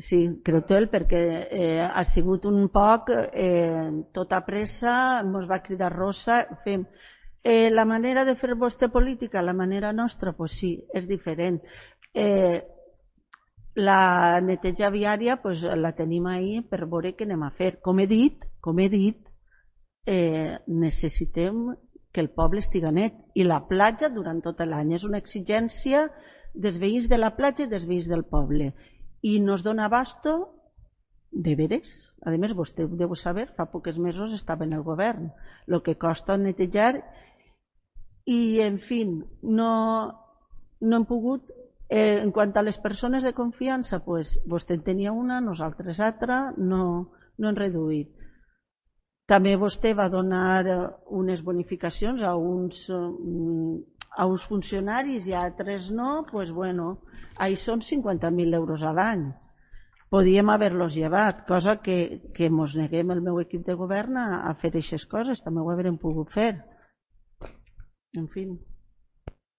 Sí, Creutel, perquè ha sigut un poc tota pressa, ens va cridar Rosa, fem... la manera de fer vostra política, la manera nostra, pues sí, és diferent. La neteja viària pues, la tenim ahí per veure què anem a fer. Com he dit, necessitem que el poble estiga net i la platja durant tot l'any. És una exigència dels veïns de la platja i dels veïns del poble. I no es dona abasto de veres. A més, vostè ho deu saber, fa pocs mesos estava en el govern. El que costa netejar i, en fi, no hem pogut. En quant a les persones de confiança, pues, vostè en tenia una, nosaltres altra, no hem reduït. També vostè va donar unes bonificacions a uns funcionaris i a altres no, pues bueno, ahí són 50.000 euros a l'any. Podíem haver-los llevat, cosa que mos neguem el meu equip de govern a fer aquestes coses, també ho haurem pogut fer. En fi.